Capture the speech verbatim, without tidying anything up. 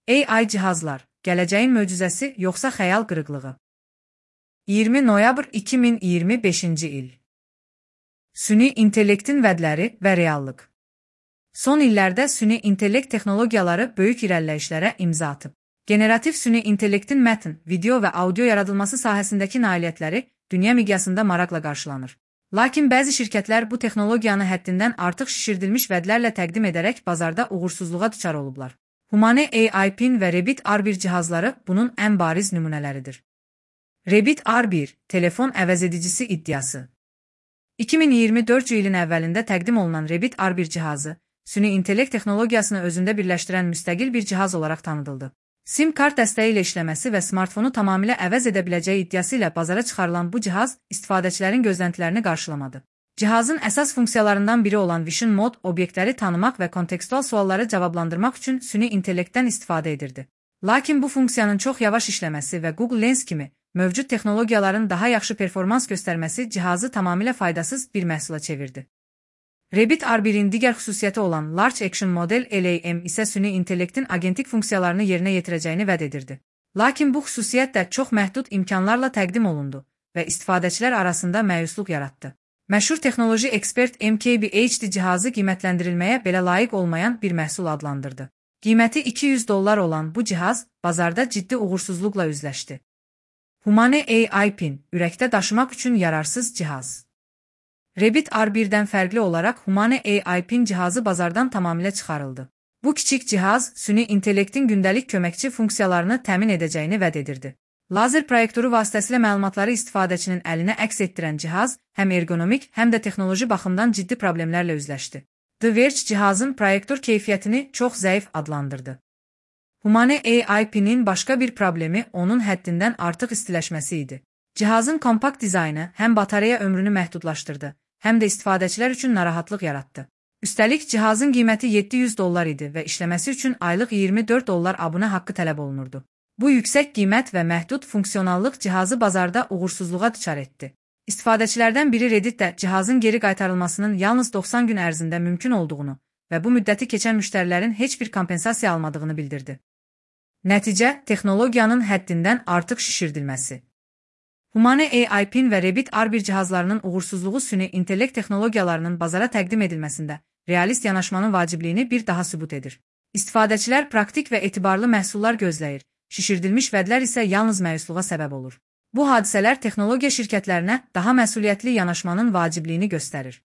A I cihazlar, gələcəyin möcüzəsi yoxsa xəyal qırıqlığı? iyirmi noyabr iki min iyirmi beşinci il. Süni intellektin vədləri və reallıq. Son illərdə süni intellekt texnologiyaları böyük irəliləyişlərə imza atıb. Generativ süni intellektin mətn, video və audio yaradılması sahəsindəki nailiyyətləri dünya miqyasında maraqla qarşılanır. Lakin bəzi şirkətlər bu texnologiyanı həddindən artıq şişirdilmiş vədlərlə təqdim edərək bazarda uğursuzluğa düçar olublar. Humane A I Pin və Rebit R bir cihazları bunun ən bariz nümunələridir. Rebit R bir, telefon əvəzedicisi iddiası. iki min iyirmi dördüncü ilin əvvəlində təqdim olunan Rebit R bir cihazı, süni intellekt texnologiyasını özündə birləşdirən müstəqil bir cihaz olaraq tanıdıldı. SIM kart dəstəyi ilə işləməsi və smartfonu tamamilə əvəz edə biləcəyi iddiası ilə bazara çıxarılan bu cihaz istifadəçilərin gözləntilərini qarşılamadı. Cihazın əsas funksiyalarından biri olan Vision Mode obyektləri tanımaq və kontekstual sualları cavablandırmaq üçün süni intellektdən istifadə edirdi. Lakin bu funksiyanın çox yavaş işləməsi və Google Lens kimi mövcud texnologiyaların daha yaxşı performans göstərməsi cihazı tamamilə faydasız bir məhsula çevirdi. Rebit R birin digər xüsusiyyəti olan Large Action Model L A M isə süni intellektin agentik funksiyalarını yerinə yetirəcəyini vəd edirdi. Lakin bu xüsusiyyət də çox məhdud imkanlarla təqdim olundu və istifadəçilər arasında məyusluq yaratdı. Məşhur texnoloji ekspert M K B H D cihazı qiymətləndirilməyə belə layiq olmayan bir məhsul adlandırdı. Qiyməti iki yüz dollar olan bu cihaz bazarda ciddi uğursuzluqla üzləşdi. Humane A I Pin, ürəkdə daşımaq üçün yararsız cihaz. Rebit R birdən fərqli olaraq Humane A I Pin cihazı bazardan tamamilə çıxarıldı. Bu kiçik cihaz süni intellektin gündəlik köməkçi funksiyalarını təmin edəcəyini vəd edirdi. Lazer proyektoru vasitəsilə məlumatları istifadəçinin əlinə əks etdirən cihaz həm ergonomik, həm də texnoloji baxımdan ciddi problemlərlə üzləşdi. The Verge cihazın proyektor keyfiyyətini çox zəif adlandırdı. Humane A I Pin'in başqa bir problemi onun həddindən artıq istiləşməsi idi. Cihazın kompakt dizaynı həm batareya ömrünü məhdudlaşdırdı, həm də istifadəçilər üçün narahatlıq yaratdı. Üstəlik, cihazın qiyməti yeddi yüz dollar idi və işləməsi üçün aylıq iyirmi dörd dollar abunə haqqı tələb olunurdu. Bu yüksək qiymət və məhdud funksionallıq cihazı bazarda uğursuzluğa düçar etdi. İstifadəçilərdən biri Reddit də cihazın geri qaytarılmasının yalnız doxsan gün ərzində mümkün olduğunu və bu müddəti keçən müştərilərin heç bir kompensasiya almadığını bildirdi. Nəticə, texnologiyanın həddindən artıq şişirdilməsi. Humane A I Pin və Rebit R bir cihazlarının uğursuzluğu süni intellekt texnologiyalarının bazara təqdim edilməsində realist yanaşmanın vacibliyini bir daha sübut edir. İstifadəçilər praktik və etibarlı məhsullar gözləyir, şişirdilmiş vədlər isə yalnız məyusluğa səbəb olur. Bu hadisələr texnologiya şirkətlərinə daha məsuliyyətli yanaşmanın vacibliyini göstərir.